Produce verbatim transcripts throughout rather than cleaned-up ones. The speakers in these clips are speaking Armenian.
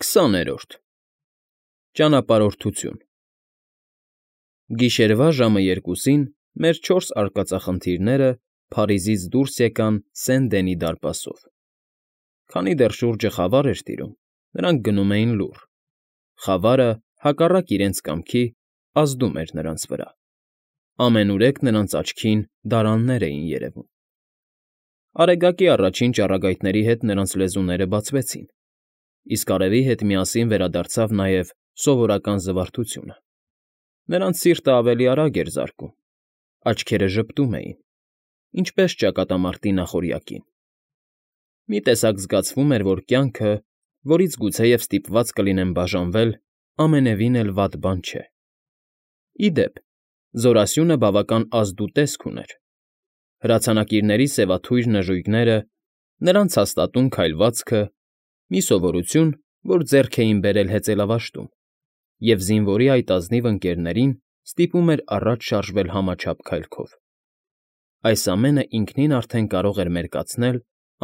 Քսաներորդ Ճանապարհորդություն Գիշերվա ժամը երկուսին մեր չորս արկածախնդիրները Փարիզից դուրս եկան Սեն֊Դենի դարպասով. քանի դեռ շուրջը խավար էր տիրում, նրանք գնում էին լուռ. խավարը, հակառակ իրենց կամքի, ազդում էր նրանց վրա. ամենուրեք նրանց աչքին դարաններ էին երևում. Արեգակի առաջին ճառագայթների հետ նրանց լեզուները բացվեցին, իսկ արևի հետ միասին վերադարձավ նաև սովորական զվարթությունը. նրանց սիրտը ավելի արագ էր զարկում, աչքերը ժպտում էին, ինչպես ճակատամարտի նախօրյակին. մի տեսակ զգացվում էր, որ կյանքը, որից գուցեև ստիպված կլինեն բաժանվել, ամենևին էլ վատ բան չէ. Ի դեպ, զորասյունը բավական ազդու տեսք ուներ. հրացանակիրների սևաթույր նժույգները, նրանց հաստատուն քայլվածքը, մի սովորություն, որ ձեռք էին բերել հեծելավաշտում, և զինվորի այդ ազնիվ ընկերներին ստիպում էր առաջ շարժվել համաչափ քայլքով. այս ամենը ինքնին արդեն կարող էր մերկացնել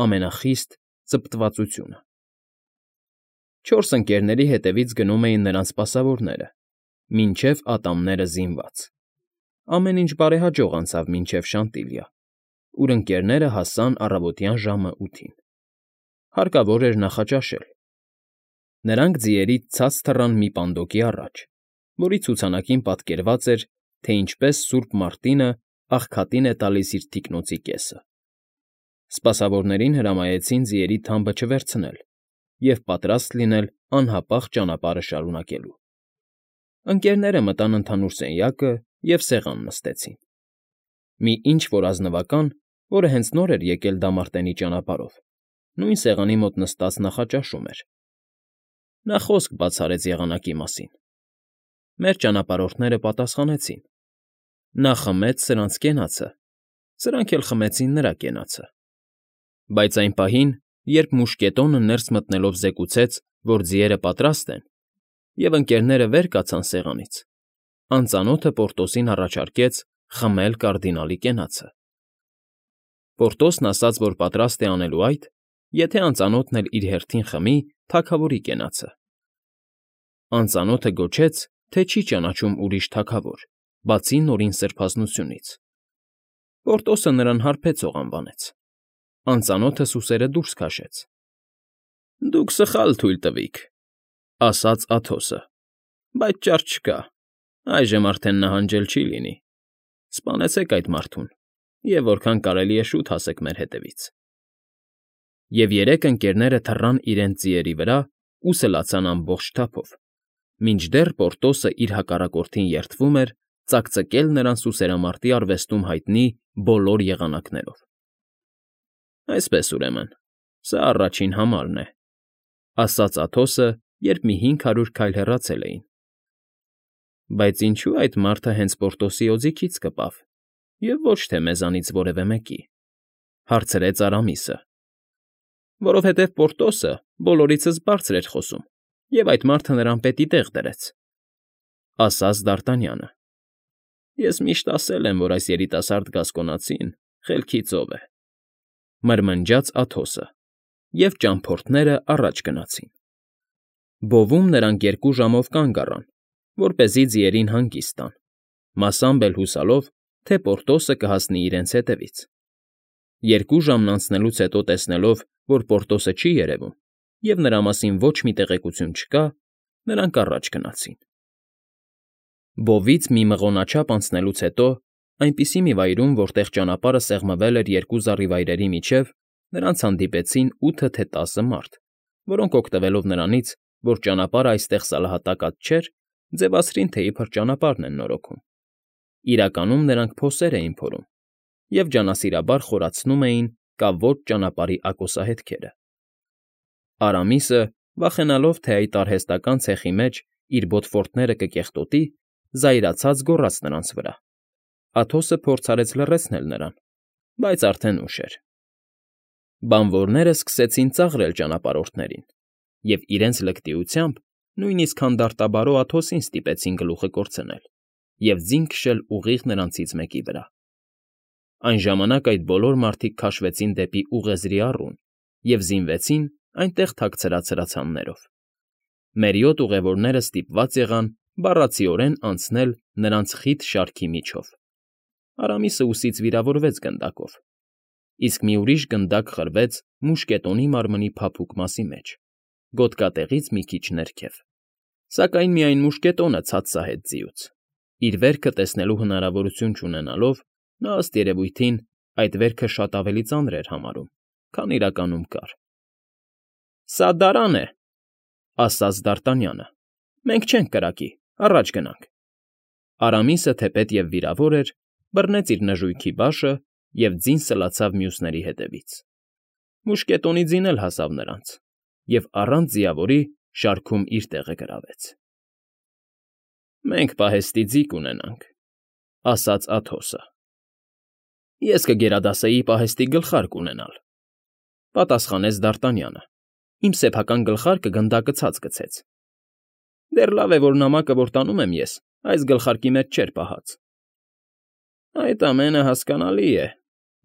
ամենախիստ ծպտվածությունը։ Չորս ընկերների հետևից գնում էին նրանց սպասավորները, մինչև ատամները զինված. ամեն ինչ բարեհաջող անցավ մինչև Շանտիլիա, ուր ընկերները հասան առավոտյան ժամը ութին. հարկավոր էր նախաճաշել. նրանք ձիերից ցած թռան մի պանդոկի առաջ, որի ցուցանակին պատկերված էր, թե ինչպես Սուրբ Մարտինը աղքատին է տալիս իր թիկնոցի կեսը. Սպասավորներին հրամայեցին ձիերի թամբը չվերցնել և պատրաստ լինել անհապաղ ճանապարհը շարունակելու։ Ընկերները մտան ընդհանուր սենյակը և սեղան նստեցին. մի ինչ֊որ ազնվական, որը հենց նոր էր եկել Դամարտենի ճանապարհով, նույն սեղանի մոտ նստած նախաճաշում էր. նա խոսք բացարեց եղանակի մասին. մեր ճանապարհորդները պատասխանեցին. նա խմեց սրանց կենացը, սրանք էլ խմեցին նրա կենացը. բայց այն պահին, երբ մուշկետոնը ներս մտնելով զեկուցեց, որ ձիերը պատրաստ են, և ընկերները վեր կացան սեղանից, անծանոթը Պորտոսին առաջարկեց խմել կարդինալի կենացը. Պորտոսն ասաց, որ պատրաստ է անելու այդ, եթե անծանոթն էլ իր հերթին խմի թագավորի կենացը. անծանոթը գոչեց, թե չի ճանաչում ուրիշ թագավոր, բացի Նորին Սրբազնությունից. Պորտոսը նրան հարբեցող անվանեց. անծանոթը սուսերը դուրս քաշեց. «Դուք սխալ թույլ տվիք,֊ ասաց Աթոսը,֊ բայց ճար չկա, այժմ արդեն նահանջել չի լինի. սպանեցեք այդ մարդուն և որքան կարելի է շուտ հասեք մեր հետևից»։ Եվ երեք ընկերները թռան իրենց ձիերի վրա ու սլացան ամբողջ թափով, մինչդեռ Պորտոսը իր հակառակորդին երդվում էր ծակծկել նրան սուսերամարտի արվեստում հայտնի բոլոր եղանակներով։ «Այսպես, ուրեմն, սա առաջին համարն է,֊ ասաց Աթոսը, երբ մի հինգ հարյուր քայլ հեռացել էին։ «Բայց ինչո՞ւ այդ մարդը հենց Պորտոսի օձիքից կպավ, և ոչ թե մեզանից որևէ մեկի,֊ հարցրեց Արամիսը։ «Որովհետև Պորտոսը բոլորիցս բարձր էր խոսում, և այդ մարդը նրան պետի տեղ դրեց,֊ ասաց Դարտանյանը։ Ես միշտ ասել եմ, որ այս երիտասարդ գասկոնացին խելքի ծով է,֊ մրմնջաց Աթոսը, և ճամփորդները առաջ գնացին։ Բովում նրանք երկու ժամով կանգ առան, որպեսզի ձիերին հանգիստ տան, մասամբ էլ հուսալով, թե Պորտոսը կհասնի իրենց հետևից։ Երկու ժամն անցնելուց հետո տեսնելով, որ Պորտոսը չի երևում, և նրա մասին ոչ մի տեղեկություն չկա, նրանք առաջ գնացին։ Բովից մի մղոնաչափ անցնելուց հետո, այնպիսի մի վայրում, որտեղ ճանապարհը սեղմվել էր երկու զառիվայրերի միջև, նրանց հանդիպեցին ութը թե տասը մարդ, որոնք օգտվելով նրանից, որ ճանապարհը այստեղ սալահատակած չէր, ձևացրին, թե իբր ճանապարհն են նորոգում։ Իրականում նրանք փոսեր էին փորում և ջանասիրաբար խորացնում էին կավոճ ճանապարհի ակոսահետքերը։ Արամիսը, վախենալով, թե այդ արհեստական ցեխի մեջ իր բոթֆորտները կկեղտոտի, զայրացած գոռաց նրանց վրա։ Աթոսը փորձ արեց լռեցնել նրան, բայց արդեն ուշ էր։ Բանվորները սկսեցին ծաղրել ճանապարհորդներին և իրենց լկտիությամբ նույնիսկ հանդարտաբարո Աթոսին ստիպեցին գլուխը կորցնել և ձին քշել ուղիղ նրանցից մեկի վրա։ Այն ժամանակ այդ բոլոր մարդիկ քաշվեցին դեպի ուղեզրի առուն և զինվեցին այնտեղ թաքցրած հրացաններով։ Մերիոտ ուղևորները ստիպված եղան բառացիորեն անցնել նրանց խիտ շարքի միջով. Արամիսը ուսից վիրավորվեց գնդակով, իսկ մի ուրիշ գնդակ խրվեց մուշկետոնի մարմնի փափուկ մասի մեջ, գոտկատեղից մի քիչ ներքև, սակայն միայն մուշկետոնը ցած սահեց ձիուց, իր վերքը տեսնելու հնարավորություն չունենալով, նա ըստ երևույթին այդ վերքը շատ ավելի ծանր էր համարում, քան իրականում կար։ ֊ Սա դարան է,֊ ասաց Դարտանյանը,֊ մենք չենք կրակի, առաջ գնանք։ Արամիսը, թեպետև վիրավոր էր, բռնեց իր նժույգի բաշը և ձին սլացավ մյուսների հետևից։ Մուշկետոնի ձին էլ հասավ նրանց և առանց ձիավորի շարքում իր տեղը գրավեց։ ֊ Մենք պահեստի ձի կունենանք,֊ ասաց Աթոսը։ ֊ Ես կգերադասեի պահեստի գլխարկ ունենալ,֊ պատասխանեց Դարտանյանը,֊ իմ սեփական գլխարկը գնդակը ցած գցեց։ ֊ Դեռ լավ է, որ նամակը, որ տանում եմ ես, այս գլխարկի մեջ չէր պահած։ ֊ Այդ ամենը հասկանալի է,֊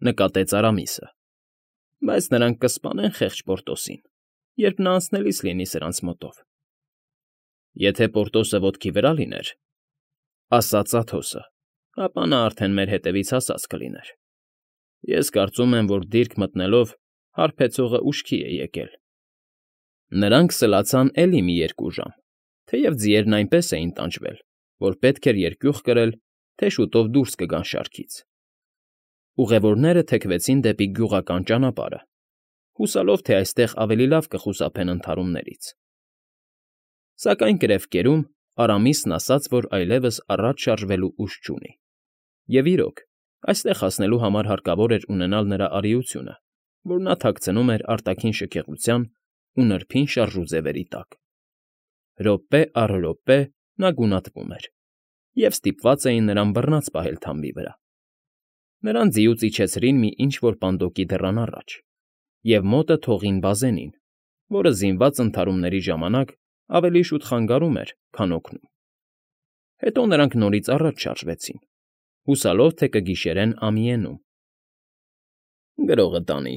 նկատեց Արամիսը,֊ բայց նրանք կսպանեն խեղճ Պորտոսին, երբ նա անցնելիս լինի սրանց մոտով։ ֊ Եթե Պորտոսը ոտքի վրա լիներ,֊ ասաց Աթոսը,֊ ապա նա արդեն մեր հետևից հասած կլիներ։ Ես կարծում եմ, որ դիրք մտնելով հարբեցողը ուշքի է եկել։ Նրանք սլացան էլի մի երկու ժամ, թեև ձիերն այնպես էին տանջվել, որ պետք էր երկյուղ կրել, թե շուտով դուրս կգան շարքից։ Ուղևորները թեքվեցին դեպի գյուղական ճանապարհը, հուսալով, թե այստեղ ավելի լավ կխուսափեն ընդհարումներից։ Սակայն կրևկերում Արամիսն ասաց, որ այլևս առաջ շարժվելու ուժ չունի։ Եվ իրոք, այստեղ հասնելու համար հարկավոր էր ունենալ նրա արիությունը, որ նա թաքցնում էր արտաքին շքեղության ու նրբին շարժուձևերի տակ։ Րոպե առ րոպե նա գունատվում էր, և ստիպված էին նրան բռնած պահել թամբի վրա։ Նրան ձիուց իջեցրին մի ինչ֊որ պանդոկի դռան առաջ և մոտը թողին բազենին, որը զինված ընդհարումների ժամանակ ավելի շուտ խանգարում էր, քան օգնում։ Հետո նրանք նորից առաջ շարժվեցին, հուսալով, թե կգիշերեն ամիենում։ ֊ Գրողը տանի,֊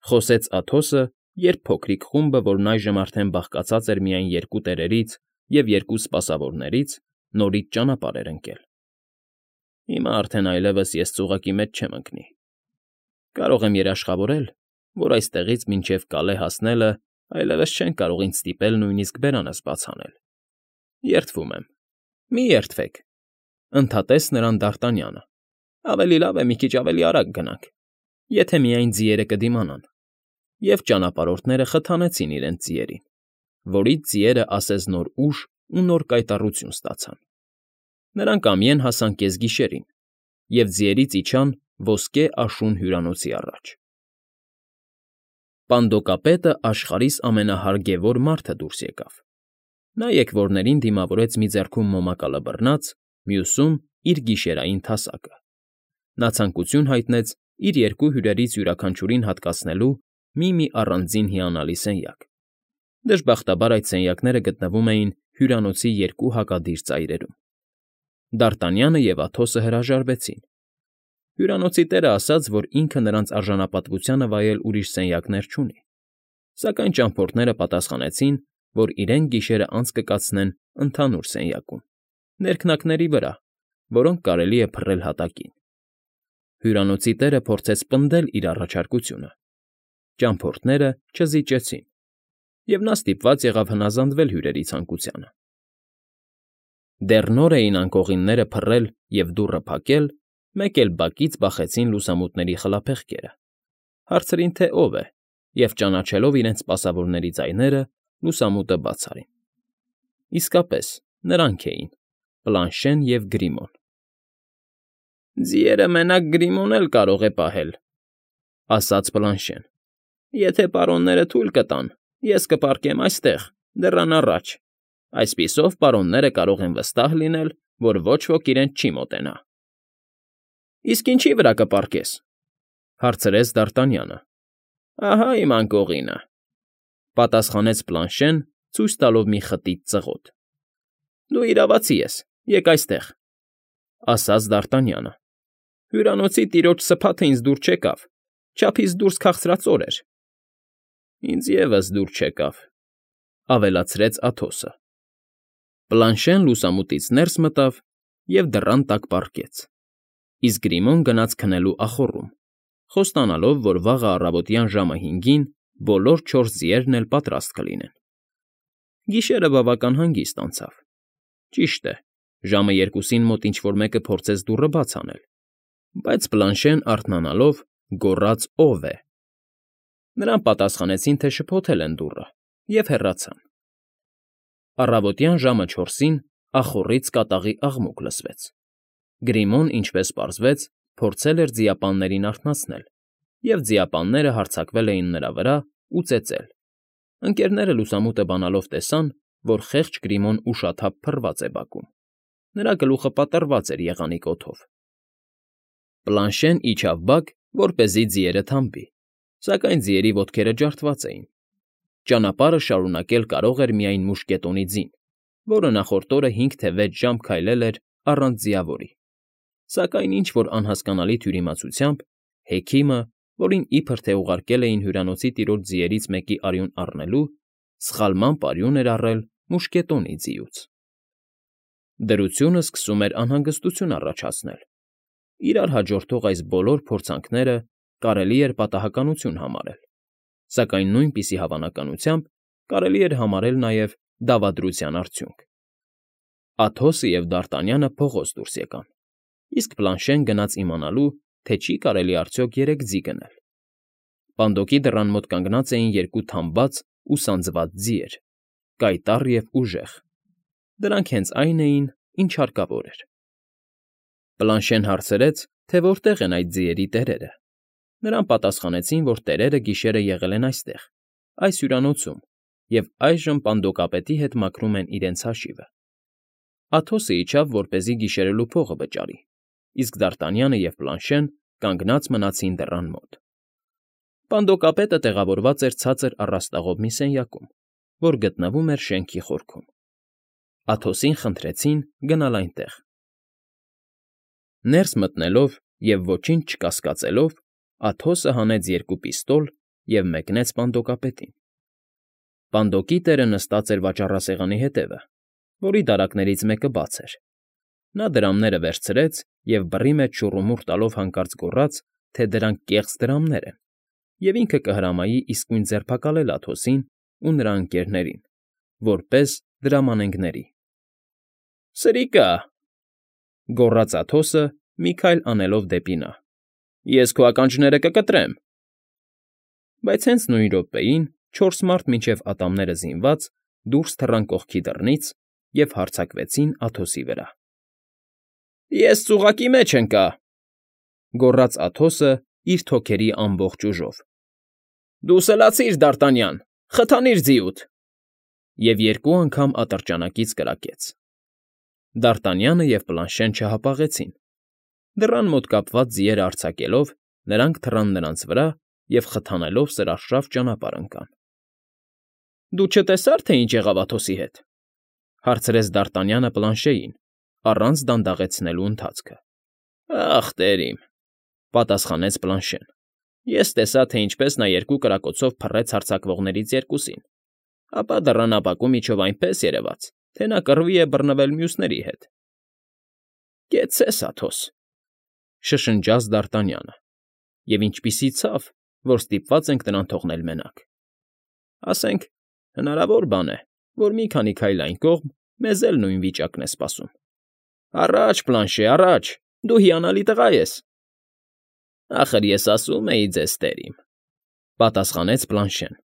խոսեց Աթոսը, երբ փոքրիկ խումբը, որն այժմ արդեն բաղկացած էր միայն երկու տերերից և երկու սպասավորներից, նորից ճանապարհ էր ընկել։ Հիմա արդեն այլևս ես ծուղակի մեջ չեմ ընկնի։ Կարող եմ երաշխավորել, որ այստեղից մինչև Կալե հասնելը այլևս չեն կարող ինձ ստիպել նույնիսկ բերանս բաց անել։ Երդվում եմ։ Մի երդվեք,֊ ընդհատեց նրան Դարտանյանը,֊ ավելի լավ է մի քիչ ավելի արագ գնանք, եթե միայն ձիերը կդիմանան։ Եվ ճանապարհորդները խթանեցին իրենց ձիերին, որից ձիերը ասես նոր ուժ ու նոր կայտառություն ստացան։ Նրանք ամիեն հասան կեսգիշերին և ձիերից իջան ոսկե աշուն հյուրանոցի առաջ։ Պանդոկապետը աշխարհիս ամենահարգևոր մարդը դուրս եկավ։ Նա եկվորներին դիմավորեց մի ձեռքում մոմակալը բռնած, մյուսում՝ իր գիշերային թասակը։ Նա ցանկություն հայտնեց իր երկու հյուրերից յուրաքանչյուրին հատկացնելու մի֊մի առանձին հիանալի սենյակ։ Դժբախտաբար այդ սենյակները գտնվում էին հյուրանոցի երկու հակադիր ծայրերում։ Դարտանյանը և Աթոսը հրաժարվեցին։ Հյուրանոցի տերը ասաց, որ ինքը նրանց արժանապատվությանը վայել ուրիշ սենյակներ չունի, սակայն ճամփորդները պատասխանեցին, որ իրենք գիշերն անց կկացնեն ընդհանուր սենյակում, ներքնակների վրա, որոնք կարելի է փռել հատակին։ Հյուրանոցի տերը փորձեց պնդել իր առաջարկությունը։ Ճամփորդները չզիջեցին, և նա ստիպված եղավ հնազանդվել հյուրերի ցանկությանը։ Դեռ նոր էին անկողինները փռել և դուռը փակել, մեկ էլ բակից բախեցին լուսամուտների խլափեղկերը, հարցրին, թե ով է, և ճանաչելով իրենց սպասավորների ձայները, լուսամուտը բաց արին։ Իսկապես, նրանք էին՝ Պլանշեն և Գրիմոն։ ֊ Ձիերը մենակ Գրիմոն էլ կարող է պահել,֊ ասաց Պլանշեն,֊ եթե պարոնները թույլ կտան, ես կպառկեմ այստեղ, դռան առաջ, այսպիսով պարոնները կարող են վստահ լինել, որ ոչ ոք իրենց չի մոտենա։ ֊ Իսկ ինչի վրա կպառկես,֊ հարցրեց Դարտանյանը։ ֊ Ահա իմ անկողինը,֊ պատասխանեց Պլանշեն, ցույց տալով մի խտիտ ծղոտ։ ֊ Դու իրավացի ես, եկ այստեղ,֊ ասաց Դարտանյանը։ Հյուրանոցի տիրոջ սփաթը ինձ դուր չեկավ, չափից դուրս քաղցրածոր էր։ ֊ Ինձ ևս դուր չեկավ,֊ ավելացրեց Աթոսը։ Պլանշեն լուսամուտից ներս մտավ և դռան տակ պառկեց, իսկ Գրիմոն գնաց քնելու ախոռում, խոստանալով, որ վաղը առավոտյան ժամը հինգին բոլոր չորս ձիերն էլ պատրաստ կլինեն։ Գիշերը բավական հանգիստ անցավ։ Ճիշտ է, ժամը երկուսին մոտ ինչ֊որ մեկը փորձեց դուռը բաց անել, բայց Պլանշեն արթնանալով գոռաց. «Ո՞վ է»։ Նրան պատասխանեցին, թե շփոթել են դուռը, և հեռացան։ Առավոտյան ժամը չորսին ախոռից կատաղի աղմուկ լսվեց։ Գրիմոն, ինչպես պարզվեց, փորձել էր ձիապաններին արթնացնել, և ձիապանները հարձակվել էին նրա վրա ու ծեծել։ Ընկերները լուսամուտը բանալով տեսան, որ խեղճ Գրիմոն ուշաթափ փռված է բակում։ Նրա գլուխը պատռված էր եղանիկ օդով։ Պլանշեն իջավ բակ, որպեսզի ձիերը թամբի, սակայն ձիերի ոտքերը ջարդված էին։ Ճանապարհը շարունակել կարող էր միայն մուշկետոնի ձին, որը նախորդ օրը հինգ թե վեց ժամ քայլել էր առանց ձիավորի։ Սակայն ինչ֊որ անհասկանալի թյուրիմացությամբ Հեքիմը, որին իբր թե ուղարկել էին հյուրանոցի տիրոջ ձիերից մեկի արյուն առնելու, սխալմամբ արյուն էր առել մուշկետոնի ձիուց։ Դրությունը սկսում էր անհանգստություն առաջացնել։ Իրար հաջորդող այս բոլոր փորձանքները կարելի էր պատահականություն համարել, սակայն նույնպիսի հավանականությամբ կարելի էր համարել նաև դավադրության արդյունք։ Աթոսը և Դարտանյանը փողոց դուրս եկան, իսկ Պլանշեն գնաց իմանալու, թե չի կարելի արդյոք երեք ձի գնել։ Պանդոկի դռան մոտ կանգնած էին երկու թամբած ու սանձված ձիեր, կայտառ և ուժեղ։ Դրանք հենց այն էին, ինչ հարկավոր էր։ Պլանշեն հարցրեց, թե որտեղ են այդ ձիերի տերերը։ Նրան պատասխանեցին, որ տերերը գիշերը եղել են այստեղ, այս հյուրանոցում, և այժմ պանդոկապետի հետ մաքրում են իրենց հաշիվը։ Աթոսը իջավ, որպեսզի գիշերելու փողը վճարի, իսկ Դարտանյանը և Պլանշեն կանգնած մնացին դռան մոտ։ Պանդոկապետը տեղավորված էր ցածր առաստաղով մի սենյակում, որ գտնվում էր շենքի խորքում։ Աթոսին խնդրեցին գնալ այնտեղ։ Ներս մտնելով և ոչինչ չկասկածելով, Աթոսը հանեց երկու պիստոլ և մեկնեց պանդոկապետին։ Պանդոկի տերը նստած էր վաճառասեղանի հետևը, որի դարակներից մեկը բաց էր։ Նա դրամները վերցրեց և բռի մեջ շուռումուռ տալով հանկարծ գոռաց, թե դրանք կեղծ դրամներ են, և ինքը կհրամայի իսկույն ձերբակալել Աթոսին ու նրա ընկերներին, որպես դրամանենգների։ ֊ Սրիկա՜, գոռաց Աթոսը, մի քայլ անելով դեպի նա։ Ես քո ականջները կկտրեմ։ Բայց հենց նույն րոպեին չորս մարդ մինչև ատամները զինված դուրս թռան կողքի դռնից և հարձակվեցին Աթոսի վրա։ ֊ Ես ծուղակի մեջ ընկա,֊ գոռաց Աթոսը իր թոքերի ամբողջ ուժով։ ֊ Դու սլացիր, Դարտանյան, խթանիր ձիուդ… Եվ երկու անգամ ատրճանակից կրակեց։ Դարտանյանը և Պլանշեն չհապաղեցին։ Դռան մոտ կապված ձիերը արձակելով, նրանք թռան նրանց վրա և խթանելով սրարշավ ճանապարհ ընկան։ ֊ Դու չտեսա՞ր, թե ինչ եղավ Աթոսի հետ,֊ հարցրեց Դարտանյանը Պլանշեին, առանց դանդաղեցնելու ընթացքը։ ֊ Ախ, տեր իմ,֊ պատասխանեց Պլանշեն,֊ ես տեսա, թե ինչպես նա երկու կրակոցով փռեց հարձակվողներից երկուսին, ապա դռան ապակու միջով այնպես երևաց, թե նա կռվի է բռնվել մյուսների հետ։ ֊ Կեցցես, Աթոս,֊ շշնջաց Դարտանյանը,֊ և ինչպիսի ցավ, որ ստիպված ենք նրան թողնել մենակ։ Ասենք, հնարավոր բան է, որ մի քանի քայլ այն կողմ մեզ էլ նույն վիճակն է սպասում։ Առաջ, Պլանշե, առաջ, դու հիանալի տղա ես։ ֊ Ախր ես ասում էի ձեզ, տեր իմ,֊ պատասխանեց Պլանշեն,֊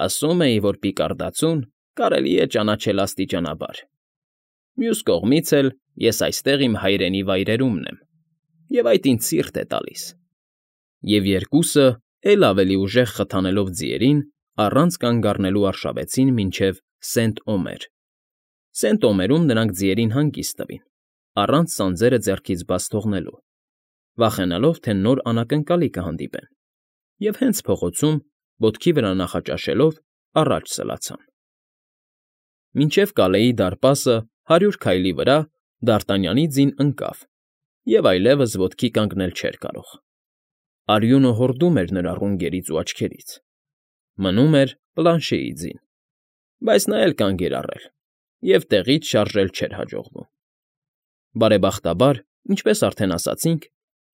ասում էի, որ պիկարդացուն կարելի է ճանաչել աստիճանաբար։ Մյուս կողմից էլ ես այստեղ իմ հայրենի վայրերումն եմ, և այդ ինձ սիրտ է տալիս։ Եվ երկուսը, էլ ավելի ուժեղ խթանելով ձիերին, առանց կանգ առնելու արշավեցին մինչև Սենտ֊Օմեր։ Սենտ֊Օմերում նրանք ձիերին հանգիստ տվին, առանց սանձերը ձեռքից բաց թողնելու, վախենալով, թե նոր անակնկալի կհանդիպեն, և հենց փողոցում, ոտքի վրա նախաճաշելով, առաջ սլացան։ Մինչև Կալեի դարպասը հարյուր քայլի վրա Դարտանյանի ձին ընկավ և այլևս ոտքի կանգնել չէր կարող։ Արյունը հորդում էր նրա ռունգերից ու աչքերից։ Մնում էր Պլանշեի ձին։ բայց նա էլ կանգ էր առել և տեղից շարժել չէր հաջողվում։ Բարեբախտաբար, ինչպես արդեն ասացինք,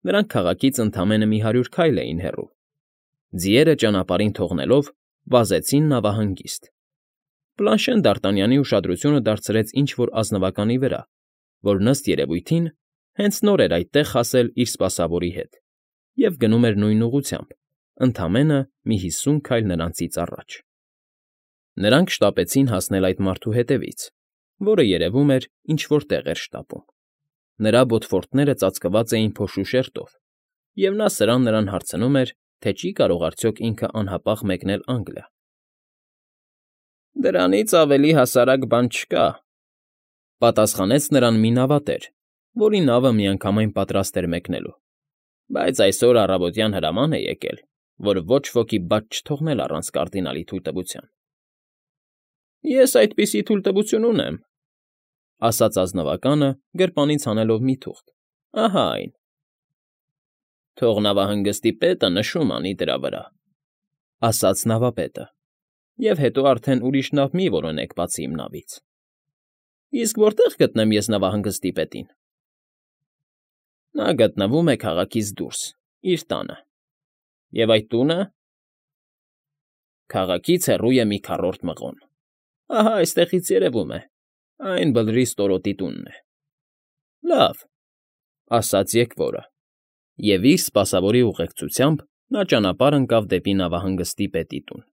նրանք քաղաքից ընդամենը մի հարյուր քայլ էին հեռու, ձիերը ճանապարհին թողնելով, վազեցին նավահանգիստ։ Պլանշեն Դ'Արտանյանի ուշադրությունը դարձրեց ինչ֊որ ազնվականի վրա, որ, ըստ երևույթին, հենց նոր էր այդտեղ հասել իր սպասավորի հետ և գնում էր նույն ուղղությամբ, ընդամենը մի հիսուն քայլ նրանցից առաջ։ Նրանք շտապեցին հասնել այդ մարդու հետևից, որը, երևում էր, ինչ֊որ տեղ էր շտապում։ Նրա բոթֆորտները ծածկված էին փոշու շերտով, և նա սրան նրան հարցնում էր, թե չի՞ կարող արդյոք ինքը անհապաղ մեկնել Անգլիա։ ֊ Դրանից ավելի հասարակ բան չկա,֊ պատասխանեց նրան մի նավատեր, որի նավը միանգամայն պատրաստ էր մեկնելու,֊ բայց այսօր առավոտյան հրաման է եկել, որ ոչ ոքի բաց չթողնել առանց կարդինալի թույլտվության։ ֊ Ես այդպիսի թույլտվություն ունեմ,֊ ասաց ազնվականը, գրպանից հանելով մի թուղթ,֊ ահա այն։ ֊ Թող նավահանգստի պետը նշում անի դրա վրա,֊ ասաց նավապետը,֊ և հետո արդեն ուրիշ նավ մի որոնեք բացի իմ նավից։ ֊ Իսկ որտե՞ղ գտնեմ ես նավահանգստի պետին։ ֊ Նա գտնվում է քաղաքից դուրս, իր տանը։ ֊ Եվ այդ տո՞ւնը։ ֊ Քաղաքից հեռու է մի քառորդ մղոն, ահա այստեղից երևում է, այն Բլրի ստորոտի տունն է։ ֊ Լավ,֊ ասաց եկվորը, և իր սպասավորի ուղեկցությամբ նա ճանապարհ ընկավ դեպի նավահանգստի պետի տուն։